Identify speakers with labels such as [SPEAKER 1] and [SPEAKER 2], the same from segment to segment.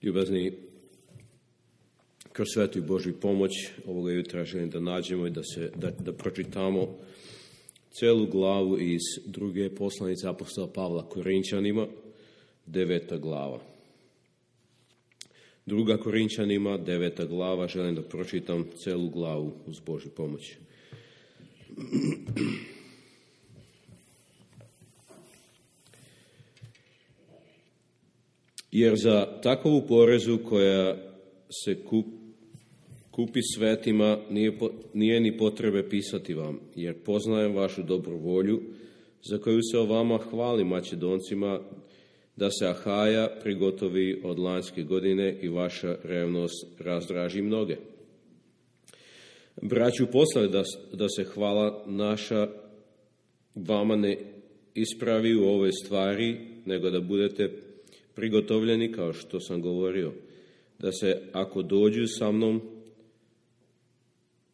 [SPEAKER 1] Ljubazni, kroz svetu i Božju pomoć ovoga jutra želim da nađemo i da pročitamo celu glavu iz druge poslanice apostola Pavla Korinčanima, 9. glava. 2. Korinčanima, 9. glava, želim da pročitam celu glavu uz Božju pomoć. Jer za takovu porezu koja se kupi svetima nije ni potrebe pisati vam, jer poznajem vašu dobru volju, za koju se o vama hvali Macedoncima, da se Ahaja prigotovi od lanjske godine i vaša revnost razdraži mnoge. Braću poslali da se hvala naša vama ne ispravi u ovoj stvari, nego da budete prigotovljeni, kao što sam govorio, da se ako dođu sa mnom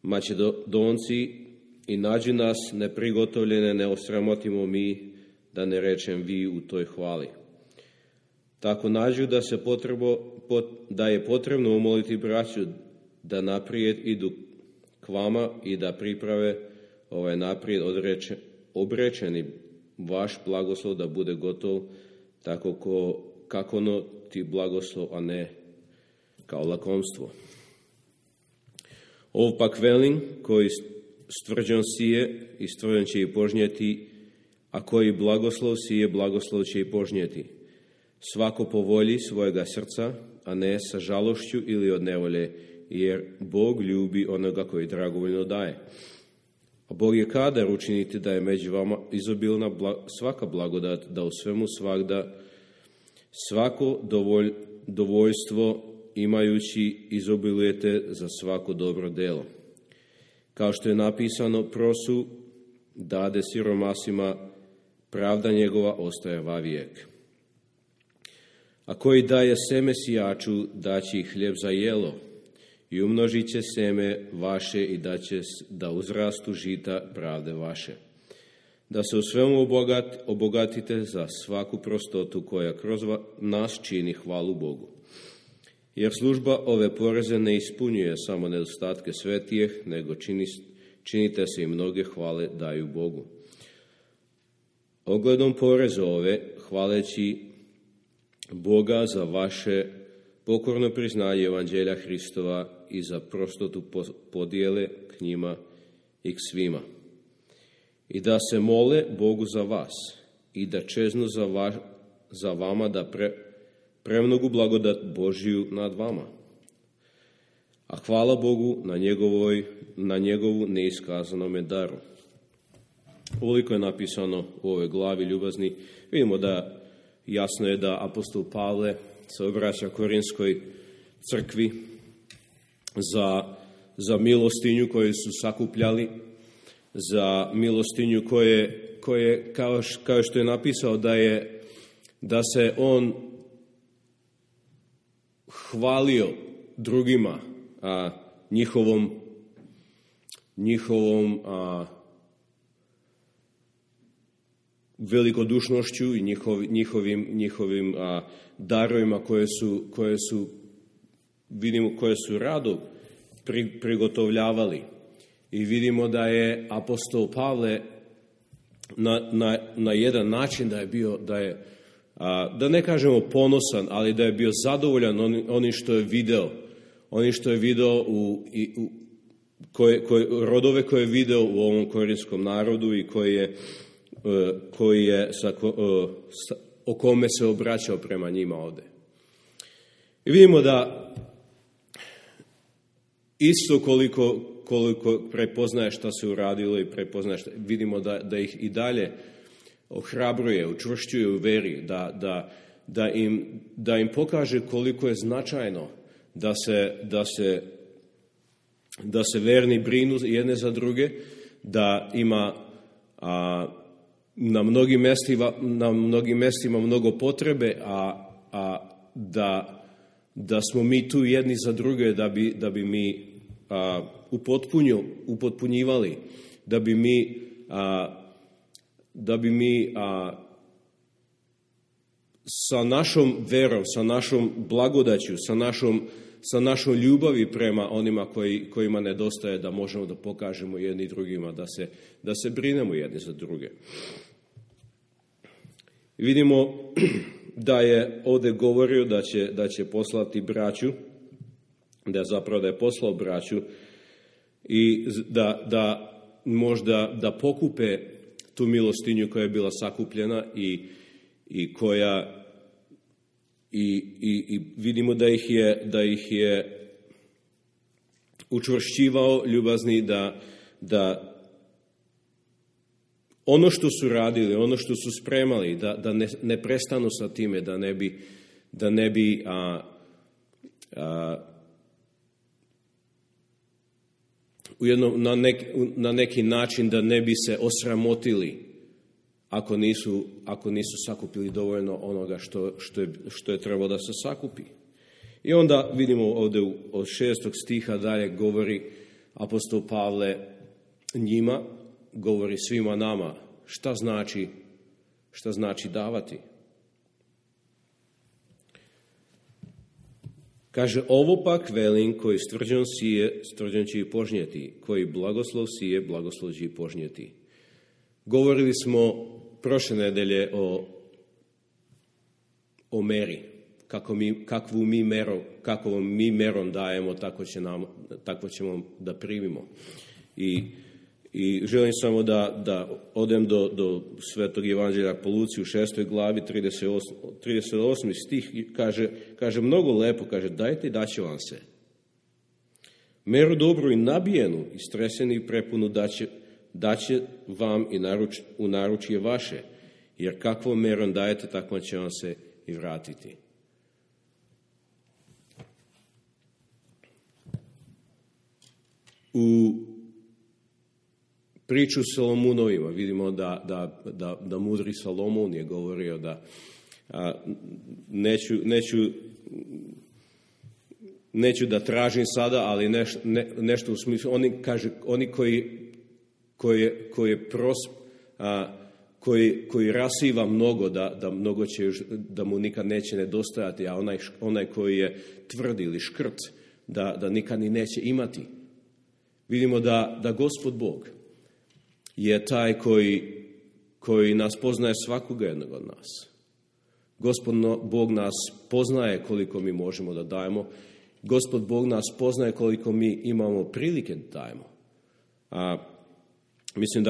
[SPEAKER 1] Macedonci i nađu nas neprigotovljene, ne osramotimo mi, da ne rečem vi u toj hvali. Tako nađu da je potrebno umoliti braću da naprijed idu k vama i da priprave ovaj naprijed obrečeni vaš blagoslov da bude gotov tako kako ti blagoslov, a ne kao lakomstvo. Ovo pak velim, koji stvrđan sije i stvrđan će i požnjeti, a koji blagoslov sije, blagoslov će i požnjeti. Svako po volji svojega srca, a ne sa žalošću ili od nevolje, jer Bog ljubi onoga koji dragovoljno daje. A Bog je kadar učiniti da je među vama izobilna svaka blagodat, da u svemu svagda svako dovoljstvo imajući izobilujete za svako dobro delo. Kao što je napisano, prosu dade siromasima, pravda njegova ostaje vavijek. A koji daje seme sijaču, daći hljeb za jelo, i umnožit će seme vaše i daće da uzrastu žita pravde vaše. Da se u svemu obogatite za svaku prostotu koja kroz nas čini hvalu Bogu. Jer služba ove poreze ne ispunjuje samo nedostatke svetijeh, nego činite se i mnoge hvale daju Bogu. Ogledom poreze ove, hvaleći Boga za vaše pokorno priznanje evanđelja Hristova i za prostotu podijele k njima i k svima. I da se mole Bogu za vas i da čeznu za vama da premnogu blagodat Božiju nad vama. A hvala Bogu na njegovu neiskazanome daru. Ukoliko je napisano u ovoj glavi, ljubazni, vidimo da jasno je da apostol Pavle se obraća Korinskoj crkvi za milostinju koju su sakupljali, za milostinju koje kao što je napisao da se on hvalio drugima njihovom velikodušnošću i njihovim darovima koje su rado prigotovljavali. I vidimo da je apostol Pavle na jedan način da ne kažemo ponosan, ali da je bio zadovoljan onim što je video. Oni što je video rodove koje je video u ovom korinskom narodu i o kome se obraćao prema njima ovde. I vidimo da isto koliko prepoznaje šta se uradilo i prepoznaje vidimo da ih i dalje ohrabruje, učvršćuje u veri, da im pokaže koliko je značajno da se verni brinu jedne za druge, da ima na mnogim mestima mnogo potrebe, a da smo mi tu jedni za druge da bi mi upotpunjivali, da bi mi sa našom verom, sa našom blagodaću, sa našom ljubavi prema onima kojima nedostaje, da možemo da pokažemo jedni drugima, da se brinemo jedni za druge. Vidimo da je ovdje govorio da će poslati braću, da je poslao braću i da možda da pokupe tu milostinju koja je bila sakupljena i koja i vidimo da ih je učvršćivao ljubazni da ono što su radili, ono što su spremali, da ne prestanu sa time, da ne bi na neki način da ne bi se osramotili ako nisu sakupili dovoljno onoga što je trebalo da se sakupi. I onda vidimo ovdje od 6. stiha dalje govori apostol Pavle njima, govori svima nama šta znači davati. Kaže, ovo pak velim, koji stvrđan sije, stvrđan će i požnjeti, koji blagoslov sije, blagoslov će i požnjeti. Govorili smo prošle nedelje o meri, kakvom mi merom dajemo, tako ćemo da primimo. I želim samo da odem do Svetog Evanđelja po Luci u 6. glavi, 38. stih, kaže mnogo lepo, kaže, dajte i daće vam se. Meru dobru i nabijenu, istresenu i prepunu daće vam i u naručje vaše, jer kakvom merom dajete, tako će vam se i vratiti. U priču s Salomunovima vidimo da mudri Salomon je govorio da neću da tražim sada, ali nešto u smislu, oni koji rasiva mnogo, da mnogo će, da mu nikad neće nedostajati, a onaj koji je tvrd ili škrt, da nikad ni neće imati. Vidimo da Gospod Bog je taj koji nas poznaje svakoga jednog od nas. Gospod Bog nas poznaje koliko mi možemo da dajemo. Gospod Bog nas poznaje koliko mi imamo prilike da dajemo. Mislim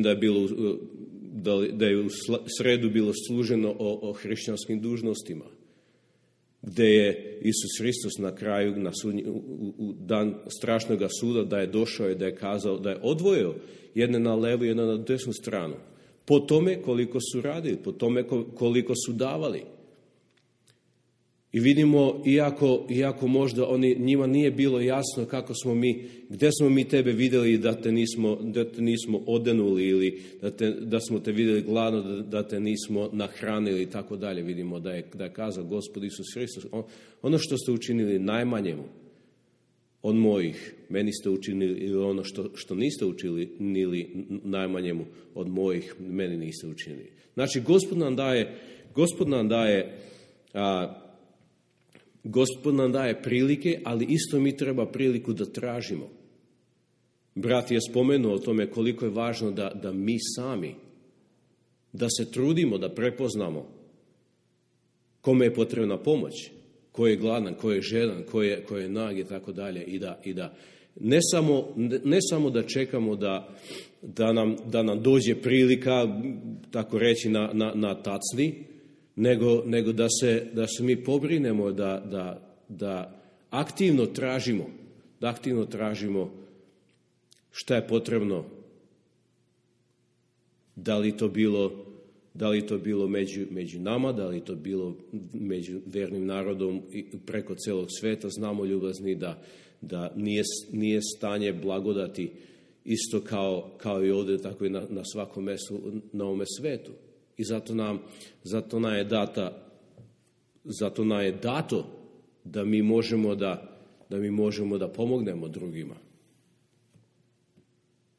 [SPEAKER 1] da je bilo da je u sredu bilo služeno o hrišćanskim dužnostima, gdje je Isus Hristos na kraju u dan strašnog suda da je došao i da je kazao, da je odvojio jedne na levu i jedne na desnu stranu. Po tome koliko su radili, po tome koliko su davali. I vidimo, iako možda njima nije bilo jasno gdje smo mi tebe vidjeli da te nismo odenuli ili da smo te vidjeli gladno, da te nismo nahranili i tako dalje. Vidimo da je kazao Gospod Isus Hristos, ono što ste učinili najmanjemu od mojih, meni ste učinili, ili ono što niste učinili najmanjemu od mojih, meni niste učinili. Znači, Gospod nam daje prilike, ali isto mi treba priliku da tražimo. Brat je spomenuo o tome koliko je važno da mi sami, da se trudimo, da prepoznamo kome je potrebna pomoć, ko je gladan, ko je žedan, ko je nag i tako dalje. I da ne samo da čekamo da nam dođe prilika, tako reći, na tacni, nego da se mi pobrinemo da aktivno tražimo šta je potrebno, da li to bilo među nama, da li to bilo među vernim narodom i preko celog sveta. Znamo, ljubazni, da nije stanje blagodati isto kao i ovdje, tako i na svakom mjestu na ovome svetu. I zato nam je dato da mi možemo da pomognemo drugima.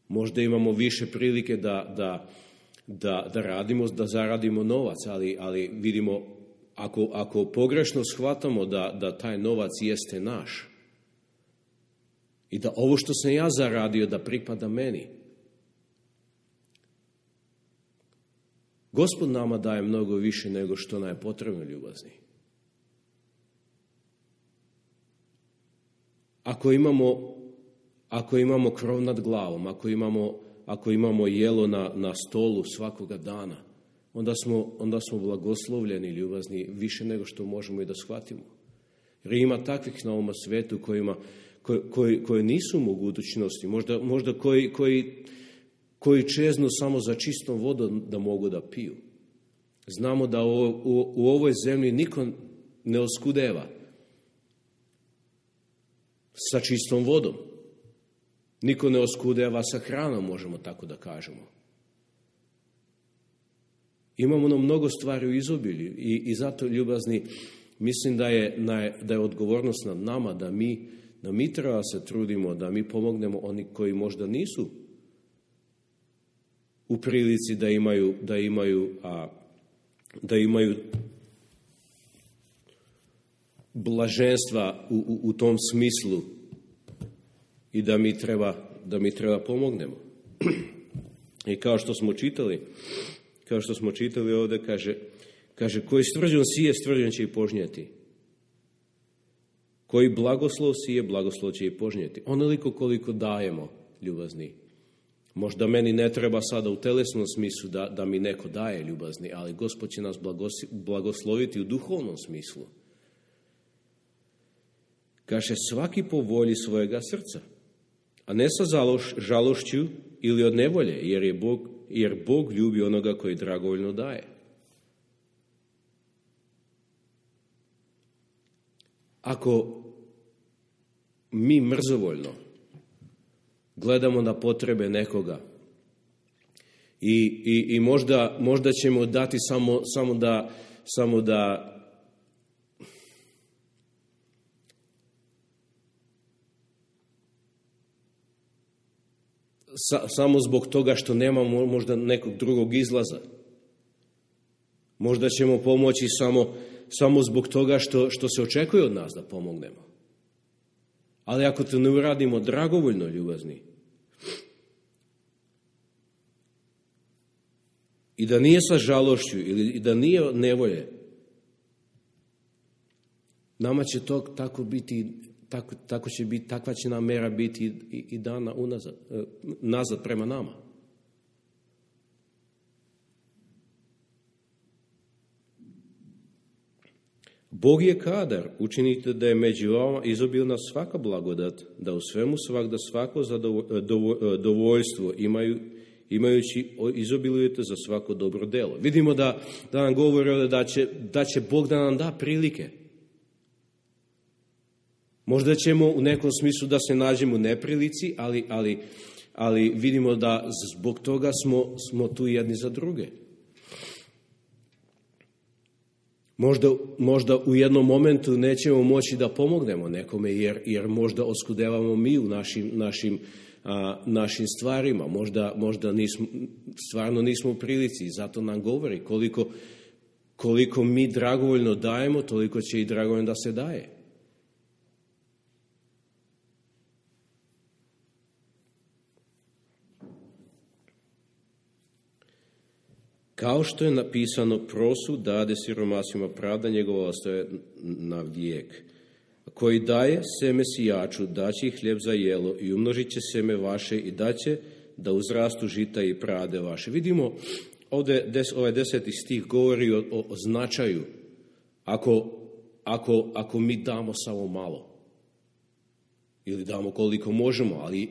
[SPEAKER 1] Možda imamo više prilike da radimo, da zaradimo novac, ali vidimo ako pogrešno shvatamo da taj novac jeste naš i da ovo što sam ja zaradio da pripada meni, Gospod nama daje mnogo više nego što nam je potrebno, ljubazni. Ako imamo krov nad glavom, ako imamo jelo na stolu svakoga dana, onda smo blagoslovljeni, ljubazni, više nego što možemo i da shvatimo. Jer ima takvih na ovom svetu koji nisu u mogućnosti, možda koji čeznu samo za čistom vodom da mogu da piju. Znamo da u ovoj zemlji niko ne oskudeva sa čistom vodom. Niko ne oskudeva sa hranom, možemo tako da kažemo. Imamo mnogo stvari u izobilju i zato, ljubazni, mislim da je odgovornost nad nama da mi treba se trudimo, da mi pomognemo oni koji možda nisu u prilici da imaju blaženstva u tom smislu i da mi treba pomognemo. I kao što smo čitali ovdje, kaže koji stvrđan sije, stvrđan će i požnjeti. Koji blagoslov sije, blagoslov će i požnjeti. Onoliko koliko dajemo, ljubazni. Možda meni ne treba sada u telesnom smislu da mi neko daje, ljubazni, ali Gospod će nas blagosloviti u duhovnom smislu. Kaže, svaki po volji svojega srca, a ne sa žalošću ili od nevolje, jer Bog ljubi onoga koji dragovoljno daje. Ako mi mrzovoljno gledamo na potrebe nekoga i možda ćemo dati samo da samo zbog toga što nemamo možda nekog drugog izlaza. Možda ćemo pomoći samo zbog toga što se očekuje od nas da pomognemo. Ali ako to ne uradimo dragovoljno, ljubazni, i da nije sa žalošću ili da nije od nevolje, nama će to tako biti, takva će nam mera biti i dana nazad prema nama. Bog je kadar, učinite da je među vama izobilna svaka blagodat, da u svemu svakda svako zadovoljstvo imajući izobilujete za svako dobro delo. Vidimo da nam govori da će Bog da nam da prilike. Možda ćemo u nekom smislu da se nađemo u neprilici, ali vidimo da zbog toga smo tu jedni za druge. Možda u jednom momentu nećemo moći da pomognemo nekome jer možda oskudevamo mi u našim stvarima. Možda stvarno nismo u prilici i zato nam govori koliko mi dragovoljno dajemo, toliko će i dragovoljno da se daje. Kao što je napisano, prosu dade siromasima, pravda njegova ostaje na vijek. Koji daje seme sijaču, daće i hljeb za jelo i umnožit će seme vaše i daće da uzrastu žita i prade vaše. Vidimo, ovdje ovaj 10. stih govori o značaju ako mi damo samo malo. Ili damo koliko možemo, ali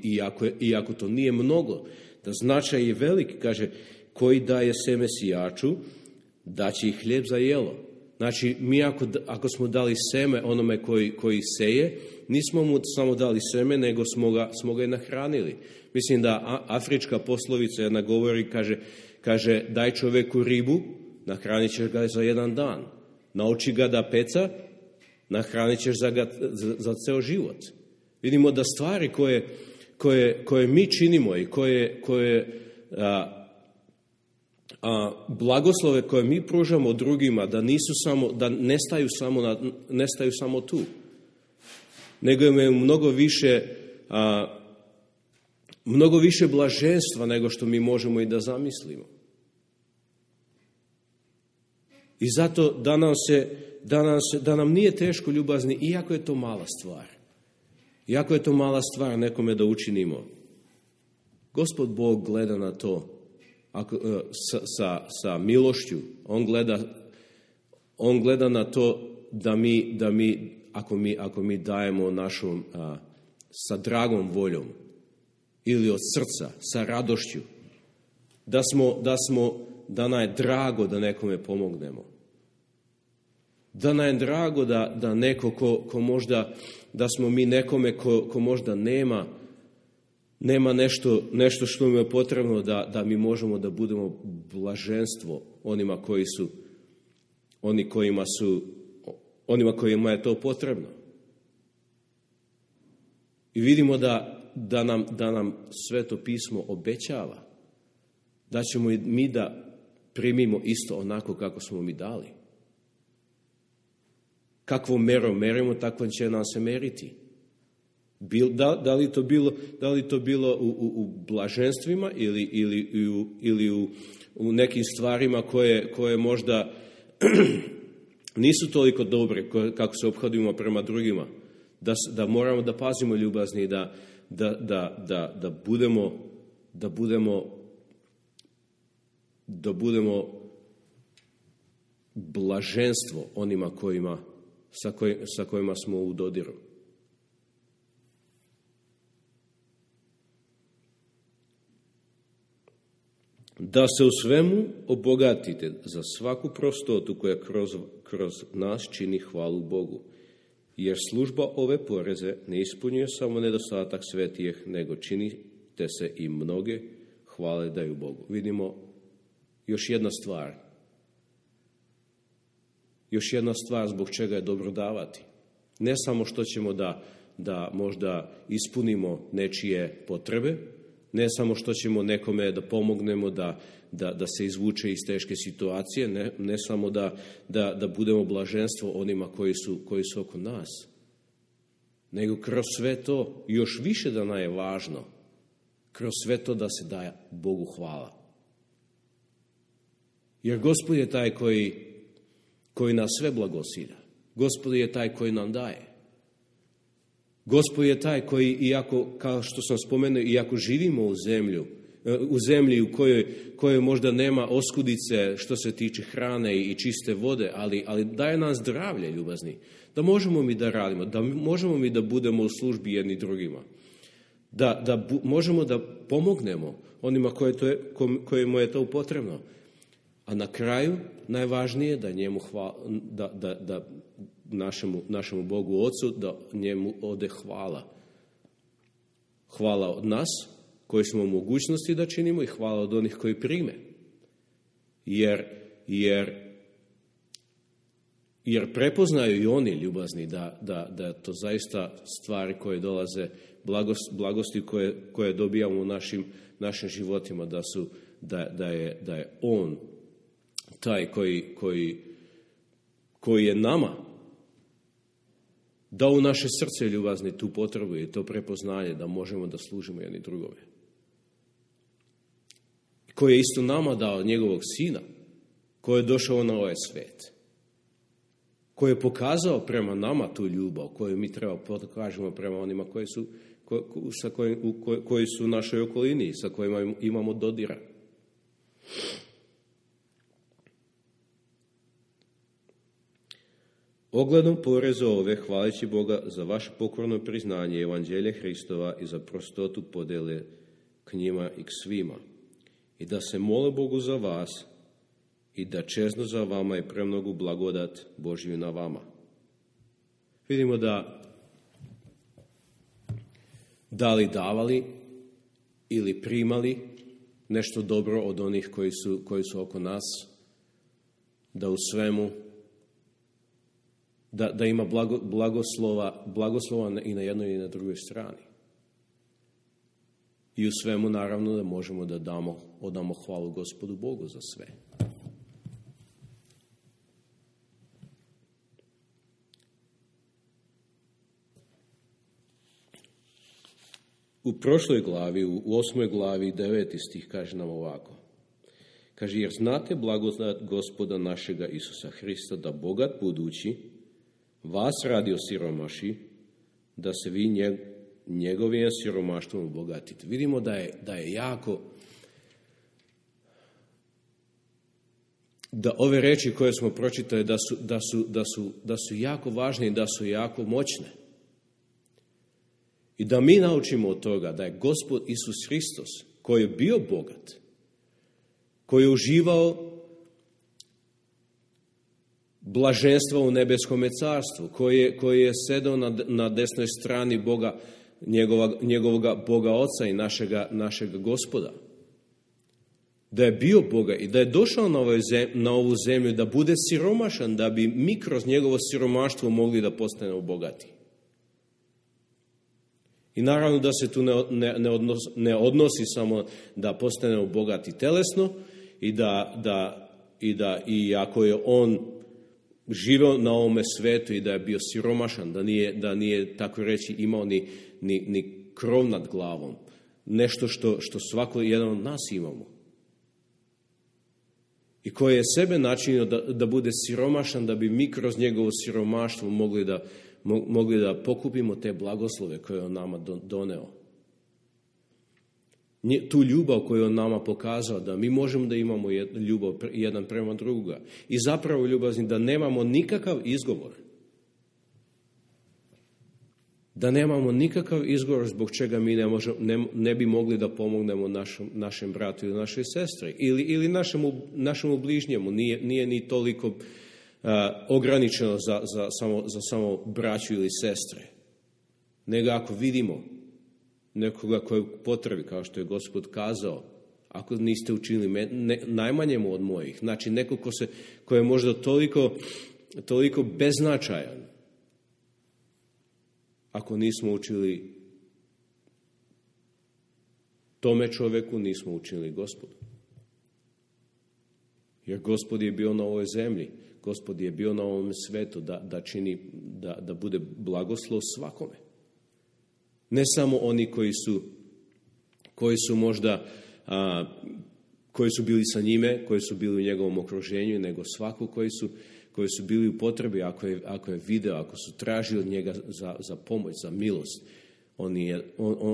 [SPEAKER 1] i ako to nije mnogo, da značaj je velik, kaže, koji daje seme sijaču, daće i hljeb za jelo. Znači, mi ako smo dali seme onome koji seje, nismo mu samo dali seme, nego smo ga i nahranili. Mislim da afrička poslovica jedna govori, kaže daj čoveku ribu, nahranit ćeš ga za jedan dan. Nauči ga da peca, nahranit ćeš za ceo život. Vidimo da stvari koje mi činimo i koje blagoslove koje mi pružamo drugima, da nestaju samo tu, nego imaju mnogo više blaženstva nego što mi možemo i da zamislimo. I zato da nam nije teško, ljubazni, iako je to mala stvar. Iako je to mala stvar nekome da učinimo. Gospod Bog gleda na to sa milošću. On gleda na to da mi ako mi dajemo našom sa dragom voljom ili od srca, sa radošću, da nam je drago da nekome pomognemo. Da nam je drago da neko ko možda, da smo mi nekome ko možda nema nešto što mu je potrebno, da mi možemo da budemo blaženstvo onima kojima je to potrebno. I vidimo da nam Sveto pismo obećava da ćemo i mi da primimo isto onako kako smo mi dali. Kakvom merom merimo, takvom će nam se meriti. Da li to bilo u blaženstvima ili u nekim stvarima koje možda nisu toliko dobre kako se ophodimo prema drugima. Da moramo da pazimo, ljubazni, da budemo blaženstvo onima sa kojima smo u dodiru. Da se u svemu obogatite za svaku prostotu koja kroz nas čini hvalu Bogu. Jer služba ove poreze ne ispunjuje samo nedostatak svetijih, nego činite se i mnoge hvale daju Bogu. Vidimo još jedna stvar zbog čega je dobro davati. Ne samo što ćemo da možda ispunimo nečije potrebe, ne samo što ćemo nekome da pomognemo da se izvuče iz teške situacije, ne samo da budemo blaženstvo onima koji su oko nas, nego kroz sve to, još više da nam je važno, kroz sve to da se daje Bogu hvala. Jer Gospod je taj koji nas sve blagosilja. Gospod je taj koji nam daje. Gospod je taj koji, iako, kao što sam spomenuo, iako živimo u zemlji u kojoj možda nema oskudice što se tiče hrane i čiste vode, ali daje nam zdravlje, ljubazni, da možemo mi da radimo, da možemo mi da budemo u službi jedni drugima, da možemo da pomognemo onima kojima je to potrebno. A na kraju, najvažnije je da njemu da našemu Bogu Ocu, da njemu ode hvala. Hvala od nas, koji smo u mogućnosti da činimo, i hvala od onih koji prime. Jer prepoznaju i oni, ljubazni, da to zaista stvari koje dolaze, blagosti koje dobijamo u našim životima, da je On taj koji je nama dao u naše srce, ljubazni, tu potrebu i to prepoznanje da možemo da služimo jedni drugome. Koji je isto nama dao njegovog Sina, koji je došao na ovaj svet, koji je pokazao prema nama tu ljubav koju mi treba pokažemo prema onima koji su u našoj okolini, sa kojima imamo dodira. Ogledom poreza ove, hvaleći Boga za vaše pokorno priznanje Evanđelja Hristova i za prostotu podele k njima i k svima. I da se mole Bogu za vas i da čezno za vama i premnogu blagodat Božju na vama. Vidimo da li davali ili primali nešto dobro od onih koji su oko nas, da u svemu da ima blagoslova i na jednoj i na drugoj strani. I u svemu naravno da možemo da odamo hvalu Gospodu Bogu za sve. U prošloj glavi, u 8. glavi, 9. stih kaže nam ovako. Kaže, jer znate blagodat Gospoda našega Isusa Hrista, da bogat budući vas radio siromaši, da se vi njegovim siromaštvom obogatite. Vidimo da je jako, da ove reči koje smo pročitali da su jako važne i da su jako moćne. I da mi naučimo od toga da je Gospod Isus Hristos, koji je bio bogat, koji je uživao blaženstva u nebeskome carstvu, koji je sedao na desnoj strani Boga, njegovoga Boga Oca i našega Gospoda. Da je bio Boga i da je došao na ovu zemlju da bude siromašan, da bi mi kroz njegovo siromaštvo mogli da postanemo bogati. I naravno da se tu ne odnosi samo da postanemo bogati telesno i ako je on živio na ovome svetu i da je bio siromašan, da nije tako reći imao ni krov nad glavom. Nešto što svako jedan od nas imamo. I koji je sebe načinio da bude siromašan, da bi mi kroz njegovo siromaštvo mogli da pokupimo te blagoslove koje on nama doneo. Tu ljubav koju on nama pokazao, da mi možemo da imamo ljubav jedan prema druga. I zapravo ljubazni da nemamo nikakav izgovor. Da nemamo nikakav izgovor zbog čega mi ne bi mogli da pomognemo našem bratu ili našoj sestri. Ili našemu bližnjemu. Nije ni toliko ograničeno za samo braću ili sestre. Nego ako vidimo nekoga koji je potrebi, kao što je Gospod kazao, ako niste učinili najmanjemu od mojih, znači neko ko je možda toliko beznačajan, ako nismo učili tome čoveku, nismo učinili Gospodu. Jer Gospod je bio na ovoj zemlji, Gospod je bio na ovom svetu da bude blagoslov svakome. Ne samo oni koji su možda koji su bili sa njime, koji su bili u njegovom okruženju, nego svako koji su bili u potrebi, ako je video, ako su tražili od njega za pomoć, za milost,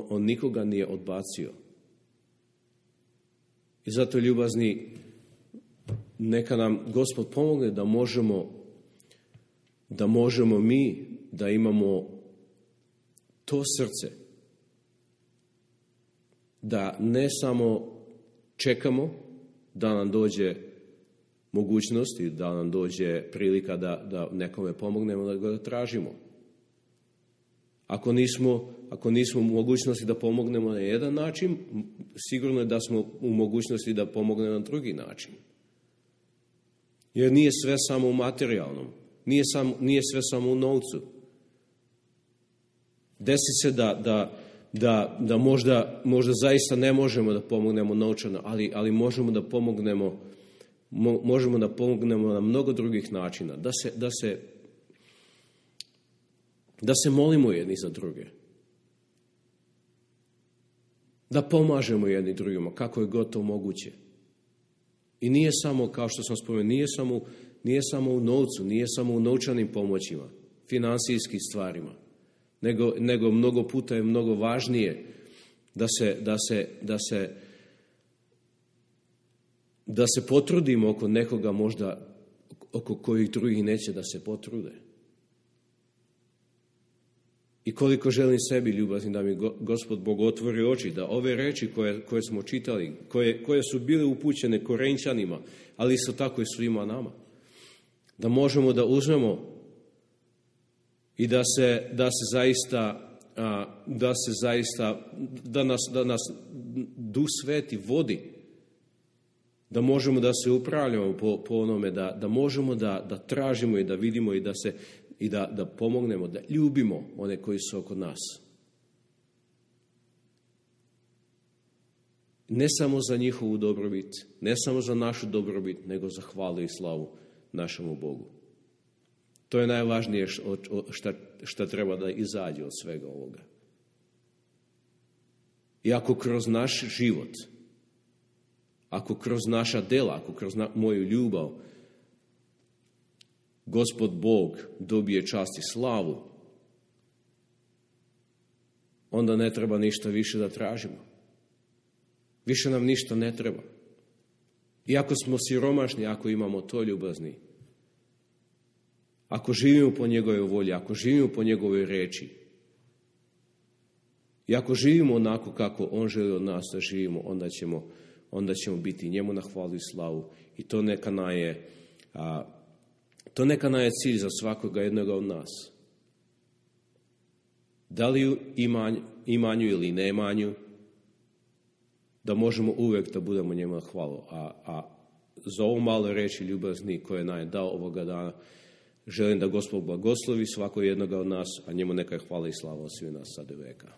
[SPEAKER 1] on nikoga nije odbacio. I zato, ljubazni, neka nam Gospod pomogne da možemo mi da imamo to srce, da ne samo čekamo da nam dođe mogućnost i da nam dođe prilika da nekome pomognemo, da ga tražimo. Ako nismo u mogućnosti da pomognemo na jedan način, sigurno je da smo u mogućnosti da pomognemo na drugi način. Jer nije sve samo u materijalnom, nije sve samo u novcu. Desi se da možda zaista ne možemo da pomognemo novčano, ali možemo da pomognemo na mnogo drugih načina, da se molimo jedni za druge, da pomažemo jedni drugima kako je god to moguće. I nije samo, kao što sam spomenuo, nije samo u novcu, nije samo u novčanim pomoćima, finansijskim stvarima, nego mnogo puta je mnogo važnije da se potrudimo oko nekoga možda oko kojih drugih neće da se potrude. I koliko želim sebi, ljubazni, da mi Gospod Bog otvori oči, da ove reči koje smo čitali, koje su bile upućene Korinćanima, ali isto tako i svima nama, da možemo da uzmemo i da nas Duh Sveti vodi, da možemo da se upravljamo po onome, da možemo da tražimo i da vidimo i da pomognemo, da ljubimo one koji su oko nas. ne samo za njihovu dobrobit, ne samo za našu dobrobit, nego za hvalu i slavu našemu Bogu. To je najvažnije što treba da izađe od svega ovoga. I ako kroz naš život, ako kroz naša dela, ako kroz moju ljubav, Gospod Bog dobije čast i slavu, onda ne treba ništa više da tražimo. Više nam ništa ne treba. Iako smo siromašni, ako imamo to ljubazni, ako živimo po njegovoj volji, ako živimo po njegovoj reči, i ako živimo onako kako on želi od nas da živimo, onda ćemo biti njemu na hvalu i slavu. I to neka je cilj za svakoga jednoga od nas. Da li u imanju ili neimanju, da možemo uvijek da budemo njemu na hvalu. A za ovo malo reći ljubazni koje nam je dao ovoga dana, želim da Gospod blagoslovi svako jednoga od nas, a njemu neka je hvala i slava od svih nas sad i veka.